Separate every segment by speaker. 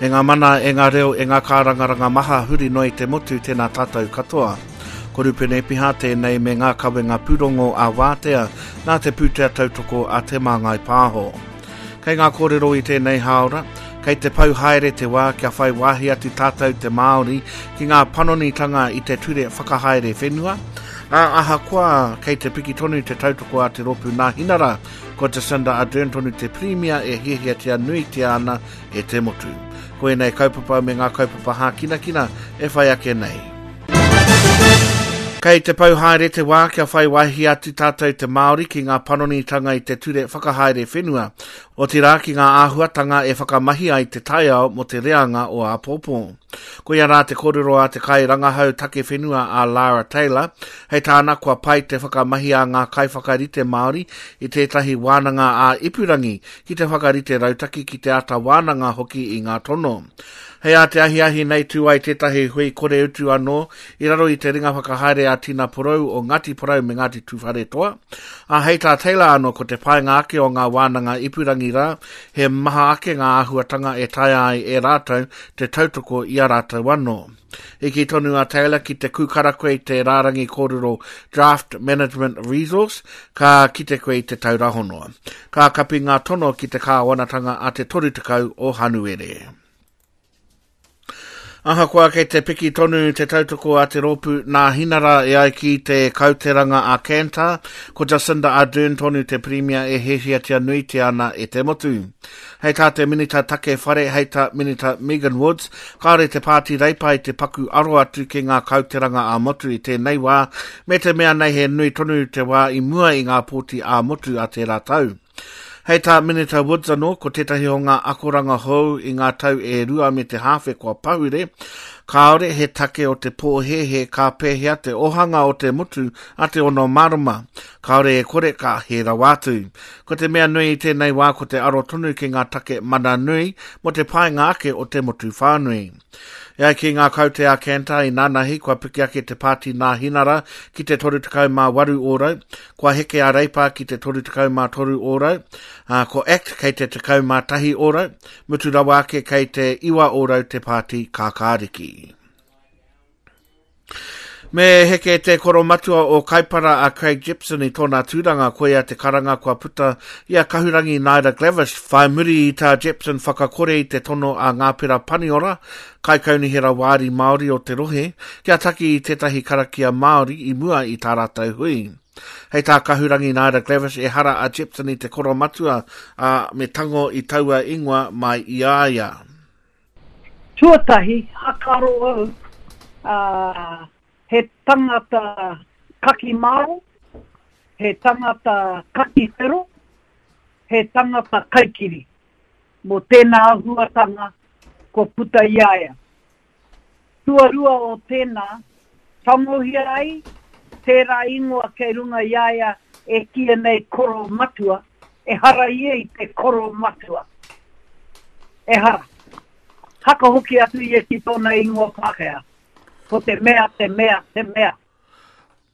Speaker 1: E ngā mana, e ngā reo, e ngā kārangaranga maha huri noa i te motu, tēnā tātou katoa. Ko Rupene Epiha tēnei me ngā kawenga pūrongo a Wātea nā te pūtea tautoko a Te Māngai Pāho. Kei ngā kōrero i tēnei hāora, kei te pau haere te wā kia whai wāhi atu tātou te Māori ki ngā panonitanga i te ture whakahaere whenua, ā, ahakoa kei te piki tonu te tautoko a te rōpū Nāhinara, ko Jacinda Ardern tonu te Pirimia e hiahiatia nuitia ana e te motu. Ko ēnei kaupapa me ngā kaupapa hākinakina e whai ake nei. Kei te pau haere te wā kia whai wāhi atu tātou te Māori ki ngā panonitanga i te ture whakahaere whenua, otirā ki ngā āhuatanga e whakamahi ai te taiao mō te reanga o āpōpō. Koia rā te kōrero a te kairangahau take whenua a Lara Taylor, hei tāna kua pai te whakamahi a ngā kaiwhakarite Māori i tētahi wānanga ā-ipurangi ki te whakarite rautaki ki te āta wānanga hoki i ngā tono. Hei ā te ahiahi nei tū ai tētahi hui kore utu anō i raro i te ringa whakahaere a Tina Porou o Ngāti Porou me Ngāti Tūwharetoa. Ā, hei tā Taylor anō ko te painga ake o ngā wānanga ipurangi rā, he maha ake ngā āhuatanga e taea ai e rātou te tautoko i a rātou anō. I kī tonu a Taylor ki te kūkara koe i te rārangi kōrero Draft Management Resource, ka kite koe i te taura hono. Ka kapi ngā tono ki te kāwanatanga a te 30 o Hanuere. Ahakoa kei te piki tonu te tautoko a te rōpū Nāhinara e ai ki te kauteranga a Kantar, ko Jacinda Ardern tonu te pirimia e hiahiatia nuitia ana e te motu. Hei tā te Minita Take Whare, hei tā Minita Megan Woods, kāore te Pāti Reipa i te paku aro atu ki ngā kauteranga ā-motu i tēnei wā, me te mea nei he nui tonu te wā i mua i ngā pōti ā-motu a tērā tau. Hei tā Minita Woods anō, ko tētahi o ngā akoranga hou i ngā tau e rua me te hāwhe kua pahure, kāore he take o te pōhēhē ka pēhea te ohanga o te motu a te ono marama, kāore e kore ka hē rawa atu. Ko te mea nui i tēnei wā ko te aro tonu ki ngā take mana nui mō te painga ake o te motu whānui. E ai ki ngā kaute a Kantar i nanahi kua piki ake te pāti Nāhinara ki te 38 ōrau, kua heke a Reipa ki te 33 ōrau, ā, ko act kei te 11 ōrau, mutu rawa ake kei te 9 ōrau te pāti Kākāriki. Me heke te koromatua o Kaipara a Craig Jepson i tōna tūranga, koia te karanga kua puta i a Kahurangi Naida Glavish whai muri i tā Jepson whakakore i te tono a Ngāpera Paniora, Kaikaunihera Wāri Māori o te rohe, kia taki i tētahi karakia Māori i mua i tā rātou hui. Hei tā Kahurangi Naida Glavish ehara a Jepson i te koromatua, ā, me tango i taua ingoa mai i a ia.
Speaker 2: Tuatahi, hakaro au, ā, he tangata kaki maro, he tangata kaki whero, he tangata kaikiri. Mō tēnā āhuatanga kua puta i a ia. Tuarua o tēnā, tangohia ai tērā ingoa kei runga i a ia e kīia nei koro matua, ehara ia i te koro matua. Ehara. Haka hoki atu ia ki tōna ingoa Pākehā. Ko te mea, te mea, te mea.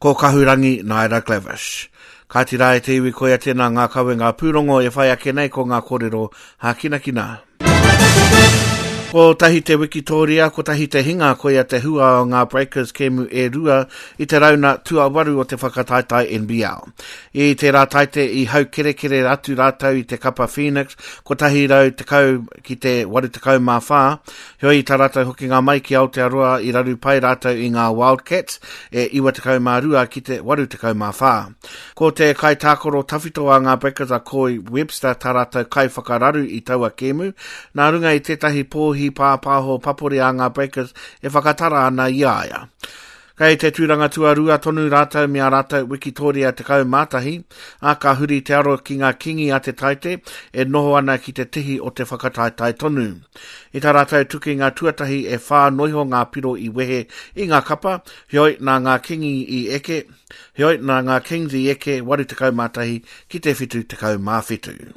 Speaker 1: Ko Kahurangi Naida Glavish. Kāti rā e te iwi koia tēnā ngā kawenga pūrongo e whai ake nei ko ngā kōrero hākinakina. Kotahi te wikitōria, kotahi te hinga, koia te hua o ngā Breakers kēmu e rua i te rauna tuawaru o te whakataetae NBL. I tērā taite i haukerekere atu rātou i te kapa Phoenix 110 ki te 84, heoi i tā rātou hokinga mai ki Aotearoa i raru pai rātou i ngā Wildcats e 92 ki te 84. Ko te kaitākaro tawhito a ngā Breakers a Corey Webster tā rātou kaiwhakararu i taua kēmu, nā runga i tētahi pōhi pāpāho papori a ngā Breakers e whakatara ana i a ia. Kei te tūranga tuarua tonu rātou me ā rātou wikitōria 11, ā, ka huri te aro ki ngā Kingi a Te Taite e noho ana ki te tihi o te whakataetae tonu. I tā rātou tukinga tuatahi e whā noiho ngā piro i wehe i ngā kapa, heoi nā ngā Kingi i eke, heoi nā ngā Kings i eke 81 ki te 77.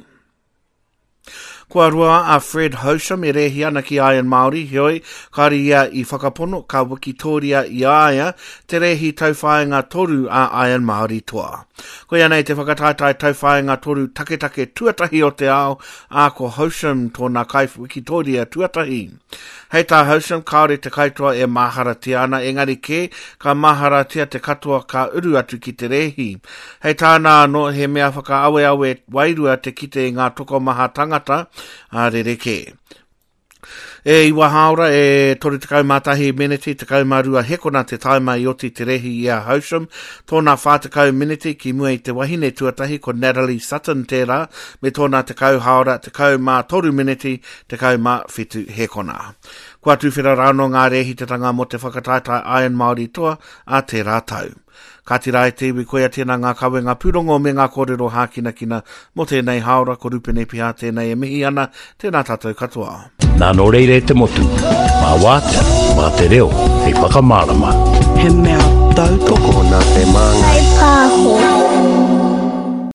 Speaker 1: Kua roa a Fred Hosham e rēhi ana ki Iron Māori, heoi, kāore ia i whakapono ka wikitōria i a ia te rēhi tauwhāinga toru a Iron Māori toa. Koia nei te whakataetae tauwhāinga toru taketake tuatahi o te ao, ā, ko Hosham tōna kaiwikitōria tuatahi. Hei tā Houston, kāore te kaitoa e māharatia ana, engari kē, ka māharatia te katoa ka uru atu ki te rēhi. Hei tāna anō, he mea whakaaweawe wairua te kite i ngā tokomaha tangata, ā, rerekē. E iwa hāora e 31 meneti 12 hekona te taima i oti te rēhi i a Howsham, tōna 40 meneti ki mua i te wahine tuatahi ko Natalie Sutton tērā, me tōna 10 hāora 13 meneti 17 hekona. Kua tuwhera rānō ngā rēhitatanga mō te whakataetae Iron Māori Toa a tērā tau. Kāti rā e te iwi koia tēnā ngā kawenga pūrongo me ngā kōrero hākinakina mō tēnei hāora ko Rupene Piha tēnei e mihi ana, tēnā tātou katoa.
Speaker 3: Nā nō reira e te motu, mā wātea, mā te reo hei whakamārama.
Speaker 4: He mea tautoko.
Speaker 5: Tokona te māngai.
Speaker 6: Whai pāho.